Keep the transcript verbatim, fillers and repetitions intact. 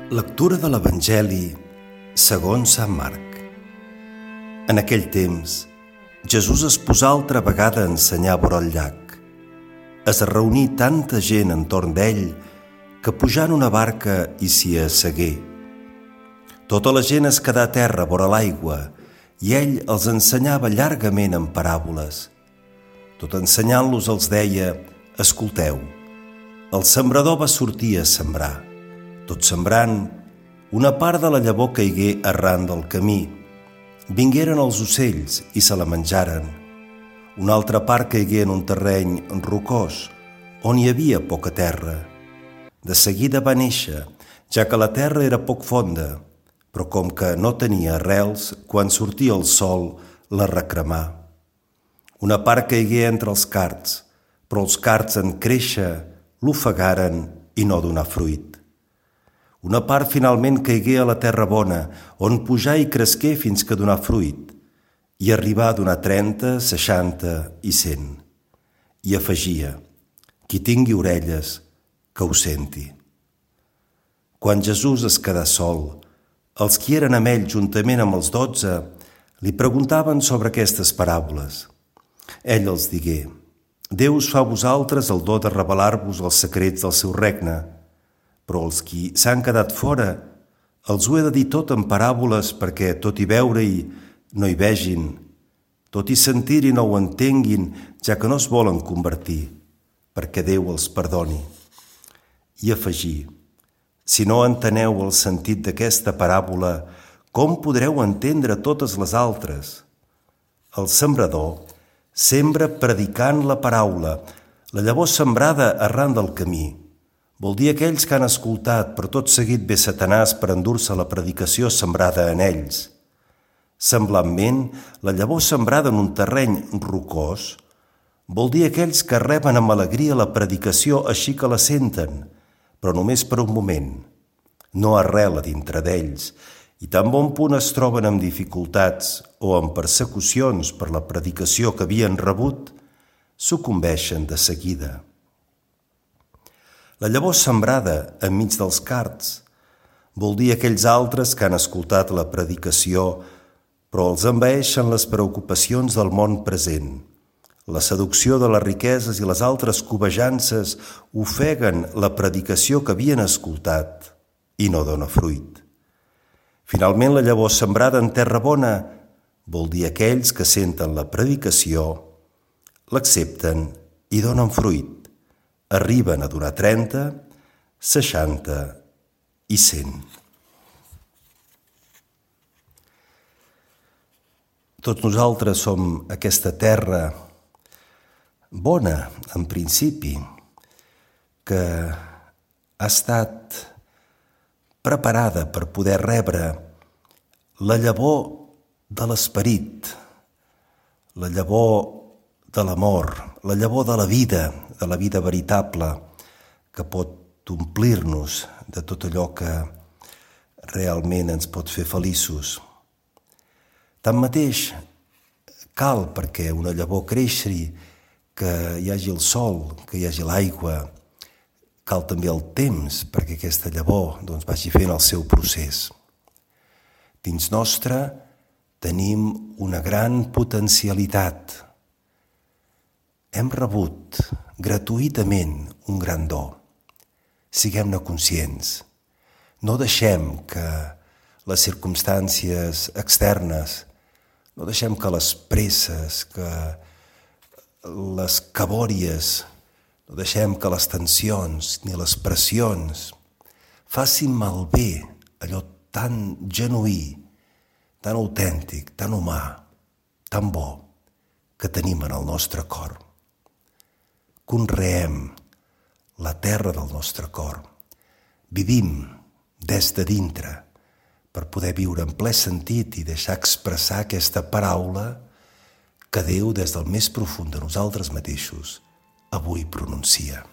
Lectura de l'Evangeli segons Sant Marc. En aquell temps, Jesús es posà altra vegada a ensenyar vora el llac. Es reuní tanta gent entorn d'ell que pujant una barca i s'hi assegué. Tota la gent es quedà a terra vora l'aigua i ell els ensenyava llargament en paràboles. Tot ensenyant-los els deia: «Escolteu, el sembrador va sortir a sembrar. Tot sembrant, una part de la llavor caigué arran del camí. Vingueren els ocells i se la menjaren. Una altra part caigué en un terreny rocós, on hi havia poca terra. De seguida va néixer, ja que la terra era poc fonda, però com que no tenia arrels, quan sortia el sol la recremà. Una part caigué entre els cards, però els cards en créixer l'ofegaren i no donà fruit. Una part finalment caigué a la terra bona, on pujà i cresqué fins que donà fruit, i arribà a donar trenta, seixanta i cent. I afegia: «Qui tingui orelles, que ho senti». Quan Jesús es quedà sol, els qui eren amb ell juntament amb els dotze li preguntaven sobre aquestes paràboles. Ell els digué: «Déu us fa a vosaltres el do de revelar-vos els secrets del seu regne, però els qui s'han quedat fora els ho he de dir tot en paràboles perquè tot i veure-hi no hi vegin, tot i sentir-hi no ho entenguin, ja que no es volen convertir, perquè Déu els perdoni». I afegí: «Si no enteneu el sentit d'aquesta paràbola, com podreu entendre totes les altres? El sembrador sembra predicant la paraula, la llavor sembrada arran del camí. Vol dir aquells que han escoltat, però tot seguit ve Satanàs per endur-se la predicació sembrada en ells. Semblantment, la llavor sembrada en un terreny rocós vol dir aquells que reben amb alegria la predicació així que la senten, però només per un moment. No arrela dintre d'ells i tan bon punt es troben amb dificultats o amb persecucions per la predicació que havien rebut, sucumbeixen de seguida. La llavor sembrada enmig dels cards vol dir aquells altres que han escoltat la predicació, però els envaeixen les preocupacions del món present. La seducció de les riqueses i les altres cobejances ofeguen la predicació que havien escoltat i no dona fruit. Finalment, la llavor sembrada en terra bona vol dir aquells que senten la predicació, l'accepten i donen fruit. Arriben a donar trenta, seixanta i cent. Tots nosaltres som aquesta terra bona, en principi, que ha estat preparada per poder rebre la llavor de l'esperit, la llavor de l'amor, la llavor de la vida, de la vida veritable, que pot omplir-nos de tot allò que realment ens pot fer feliços. Tanmateix, cal perquè una llavor creixi, que hi hagi el sol, que hi hagi l'aigua, cal també el temps perquè aquesta llavor doncs, vagi fent el seu procés. Dins nostre tenim una gran potencialitat. Hem rebut gratuïtament un gran do. Siguem-ne conscients. No deixem que les circumstàncies externes, no deixem que les presses, que les cabòries, no deixem que les tensions ni les pressions facin malbé allò tan genuí, tan autèntic, tan humà, tan bo que tenim en el nostre cor. Conreem la terra del nostre cor. Vivim des de dintre per poder viure en ple sentit i deixar expressar aquesta paraula que Déu, des del més profund de nosaltres mateixos, avui pronuncia.